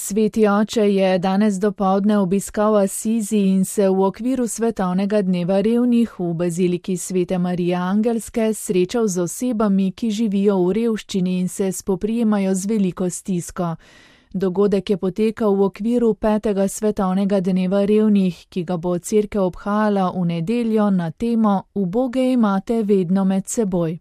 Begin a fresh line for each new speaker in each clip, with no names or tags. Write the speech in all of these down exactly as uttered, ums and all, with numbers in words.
Sveti oče je danes dopoldne obiskal Asizi in se v okviru svetovnega dneva revnih v baziliki Svete Marije Angelske srečal z osebami, ki živijo v revščini in se spoprijemajo z veliko stisko. Dogodek je potekal v okviru petega svetovnega dneva revnih, ki ga bo cerkev obhajala v nedeljo na temo Uboge imate vedno med seboj.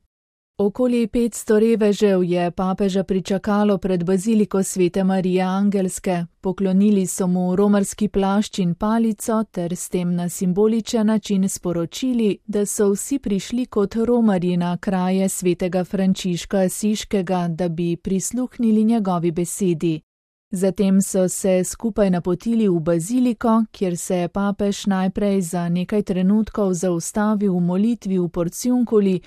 Okoli petsto revežev je papeža pričakalo pred baziliko Svete Marije Angelske, poklonili so mu romarski plašč in palico ter s tem na simboličen način sporočili, da so vsi prišli kot romarji na kraje svetega Frančiška Asiškega, da bi prisluhnili njegovi besedi. Zatem so se skupaj napotili v baziliko, kjer se je papež najprej za nekaj trenutkov zaustavil v molitvi v Porciunkuli.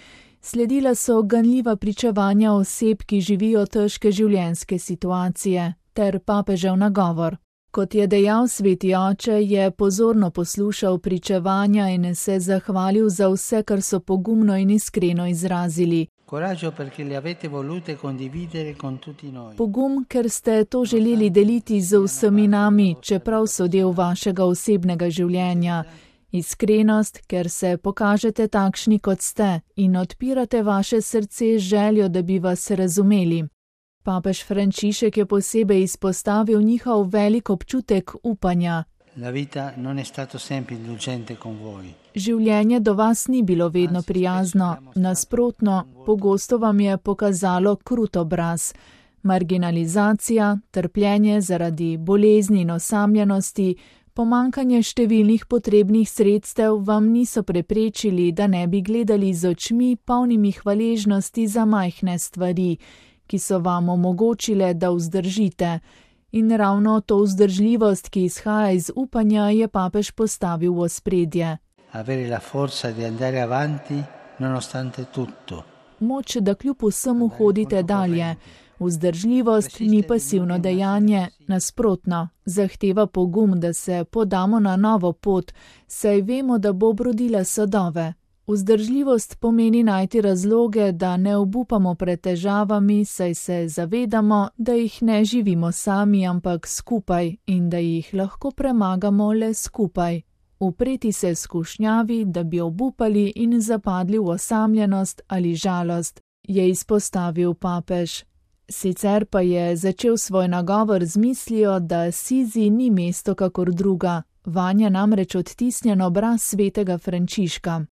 Sledila so ganljiva pričevanja oseb, ki živijo težke življenjske situacije, ter papežev nagovor. Kot je dejal sveti oče, je pozorno poslušal pričevanja in se zahvalil za vse, kar so pogumno in iskreno izrazili. Pogum, ker ste to želeli deliti z vsemi nami, čeprav so del vašega osebnega življenja. Iskrenost, ker se pokažete takšni, kot ste, in odpirate vaše srce z željo, da bi vas razumeli. Papež Frančišek je posebej izpostavil njihov velik občutek upanja. Življenje do vas ni bilo vedno prijazno, nasprotno, pogosto vam je pokazalo krut obraz. Marginalizacija, trpljenje zaradi bolezni in osamljenosti, pomanjkanje številnih potrebnih sredstev vam niso preprečili, da ne bi gledali z očmi polnimi hvaležnosti za majhne stvari, ki so vam omogočile, da vzdržite. In ravno to vzdržljivost, ki izhaja iz upanja, je papež postavil v ospredje. Moč, da kljub vsemu hodite dalje. Vzdržljivost ni pasivno dejanje, nasprotno, zahteva pogum, da se podamo na novo pot, saj vemo, da bo obrodila sadove. Vzdržljivost pomeni najti razloge, da ne obupamo pred težavami, saj se zavedamo, da jih ne živimo sami, ampak skupaj in da jih lahko premagamo le skupaj. Upreti se skušnjavi, da bi obupali in zapadli v osamljenost ali žalost, je izpostavil papež. Sicer pa je začel svoj nagovor z mislijo, da Asizi ni mesto kakor druga, vanje namreč odtisnjen obraz svetega Frančiška.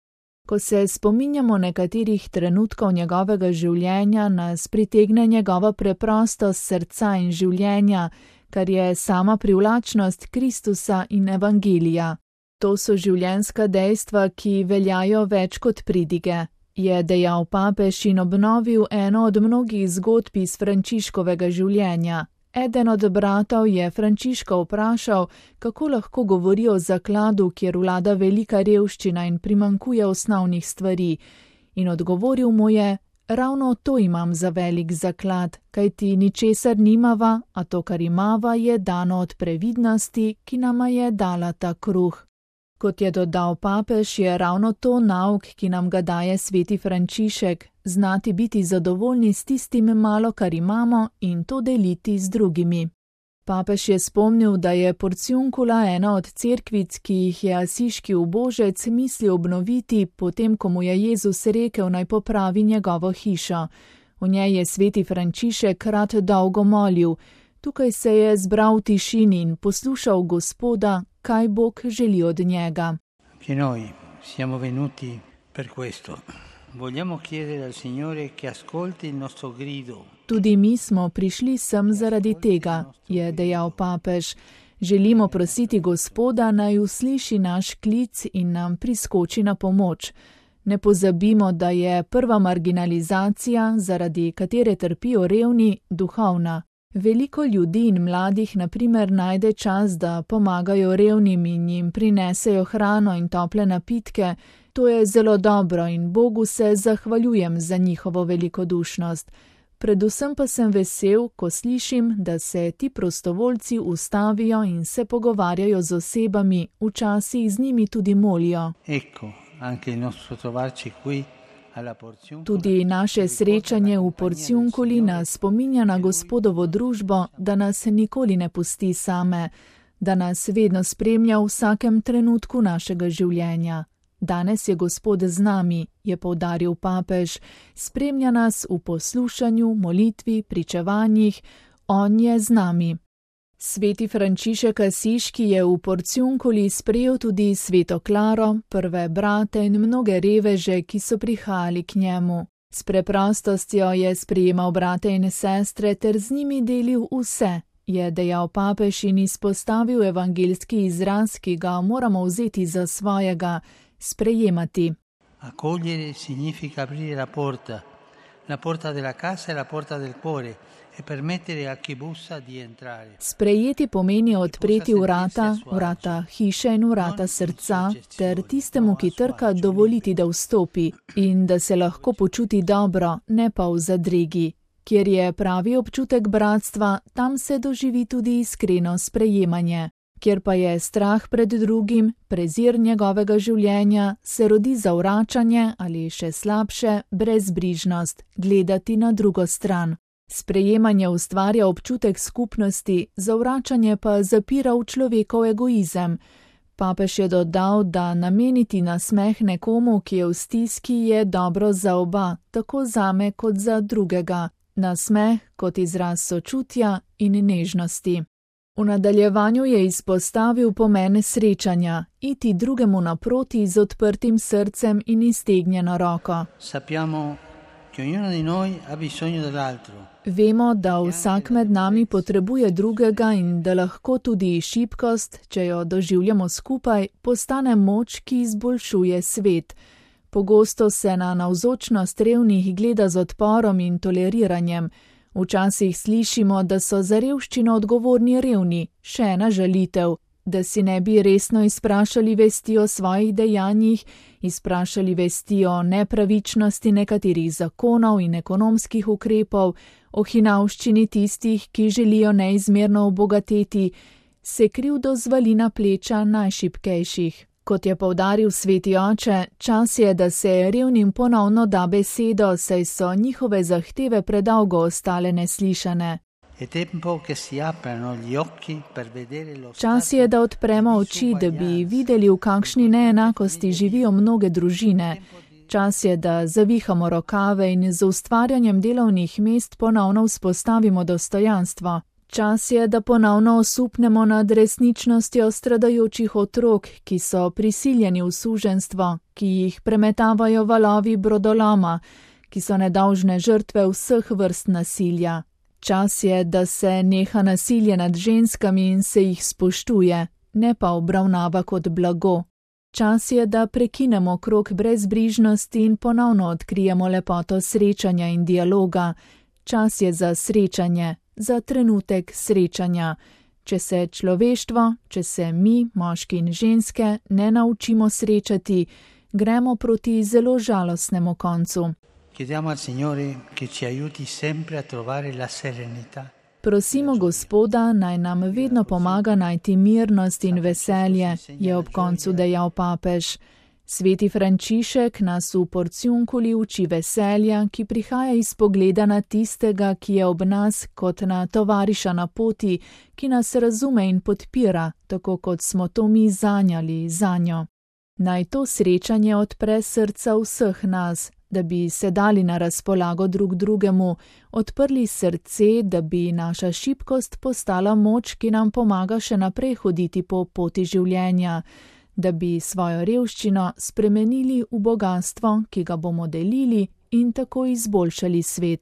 Ko se spominjamo nekaterih trenutkov njegovega življenja, nas pritegne njegova preprostost srca in življenja, kar je sama privlačnost Kristusa in Evangelija. To so življenjska dejstva, ki veljajo več kot pridige. Je dejal papež in obnovil eno od mnogih zgodb iz Frančiškovega življenja. Eden od bratov je Frančiška vprašal, kako lahko govori o zakladu, kjer vlada velika revščina in primanjkuje osnovnih stvari. In odgovoril mu je, ravno to imam za velik zaklad, kajti ničesar nimava, a to, kar imava, je dano od previdnosti, ki nama je dala ta kruh. Kot je dodal papež, je ravno to nauk, ki nam ga daje sveti Frančišek, znati biti zadovoljni s tistim malo, kar imamo in to deliti z drugimi. Papež je spomnil, da je Porciunkula ena od cerkvic, ki jih je asiški ubožec mislil obnoviti, potem ko mu je Jezus rekel, naj popravi njegovo hišo. V njej je sveti Frančišek rad dolgo molil. Tukaj se je zbral v tišini in poslušal Gospoda, kaj Bog želi od njega.
Anche noi siamo venuti per questo. Vogliamo chiedere al Signore che ascolti il nostro grido.
Tudi mi smo prišli sem zaradi tega, je dejal papež. Želimo prositi Gospoda, naj usliši naš klic in nam priskoči na pomoč. Ne pozabimo, da je prva marginalizacija, zaradi katere trpijo revni, duhovna. Veliko ljudi in mladih na primer najde čas, da pomagajo revnim in jim prinesejo hrano in tople napitke. To je zelo dobro in Bogu se zahvaljujem za njihovo velikodušnost. Predvsem pa sem vesel, ko slišim, da se ti prostovoljci ustavijo in se pogovarjajo z osebami, včasih z njimi tudi molijo.
Ecco, anche il nostro trovarci qui
Tudi naše srečanje v Porciunculi nas spominja na Gospodovo družbo, da nas nikoli ne pusti same, da nas vedno spremlja v vsakem trenutku našega življenja. Danes je Gospod z nami, je poudaril papež, spremlja nas v poslušanju, molitvi, pričevanjih, on je z nami. Sveti Frančišek Asiški je v Porciunculi sprejel tudi sveto Klaro, prve brate in mnoge reveže, ki so prihajali k njemu. S preprostostjo je sprejemal brate in sestre ter z njimi delil vse, je dejal papež in izpostavil evangeljski izraz, ki ga moramo vzeti za svojega, sprejemati.
Accogliere significa aprire la porta, la porta della casa e la porta del cuore.
Sprejeti pomeni odpreti vrata, vrata hiše in vrata srca, ter tistemu, ki trka, dovoliti, da vstopi in da se lahko počuti dobro, ne pa v zadregi. Kjer je pravi občutek bratstva, tam se doživi tudi iskreno sprejemanje. Kjer pa je strah pred drugim, prezir njegovega življenja, se rodi zavračanje ali še slabše, brezbrižnost, gledati na drugo stran. Sprejemanje ustvarja občutek skupnosti, zavračanje pa zapira v človekov egoizem. Papež je dodal, da nameniti nasmeh nekomu, ki je v stiski, je dobro za oba, tako zame kot za drugega. Nasmeh kot izraz sočutja in nežnosti. V nadaljevanju je izpostavil pomen srečanja, iti drugemu naproti z odprtim srcem in iztegnjeno roko.
Sappiamo che ognuno di noi ha bisogno dell'altro.
Vemo, da vsak med nami potrebuje drugega in da lahko tudi šibkost, če jo doživljamo skupaj, postane moč, ki izboljšuje svet. Pogosto se na navzočnost revnih gleda z odporom in toleriranjem. Včasih slišimo, da so za revščino odgovorni revni, še ena žalitev, da si ne bi resno izprašali vesti o svojih dejanjih, izprašali vesti o nepravičnosti nekaterih zakonov in ekonomskih ukrepov, o hinavščini tistih, ki želijo neizmerno obogateti, se krivdo zvali na pleča najšibkejših. Kot je poudaril sveti oče, čas je, da se revnim ponovno da besedo, saj so njihove zahteve predolgo ostale neslišane. Čas je, da odpremo oči, da bi videli, v kakšni neenakosti živijo mnoge družine. Čas je, da zavihamo rokave in z ustvarjanjem delovnih mest ponovno vzpostavimo dostojanstvo. Čas je, da ponovno osupnemo nad resničnostjo stradajočih otrok, ki so prisiljeni v suženjstvo, ki jih premetavajo valovi brodoloma, ki so nedolžne žrtve vseh vrst nasilja. Čas je, da se neha nasilje nad ženskami in se jih spoštuje, ne pa obravnava kot blago. Čas je, da prekinemo krog brezbrižnosti in ponovno odkrijemo lepoto srečanja in dialoga. Čas je za srečanje, za trenutek srečanja. Če se človeštvo, če se mi, moški in ženske, ne naučimo srečati, gremo proti zelo žalostnemu koncu.
Chiediamo al Signore che ci aiuti sempre a trovare la serenità.
Prosimo Gospoda, naj nam vedno pomaga najti mirnost in veselje, je ob koncu dejal papež. Sveti Frančišek nas v Porciunculi uči veselja, ki prihaja iz pogleda na tistega, ki je ob nas kot na tovariša na poti, ki nas razume in podpira, tako kot smo to mi zanjali zanjo. Naj to srečanje odpre srca vseh nas, da bi se dali na razpolago drug drugemu, odprli srce, da bi naša šibkost postala moč, ki nam pomaga še naprej hoditi po poti življenja, da bi svojo revščino spremenili v bogastvo, ki ga bomo delili in tako izboljšali svet.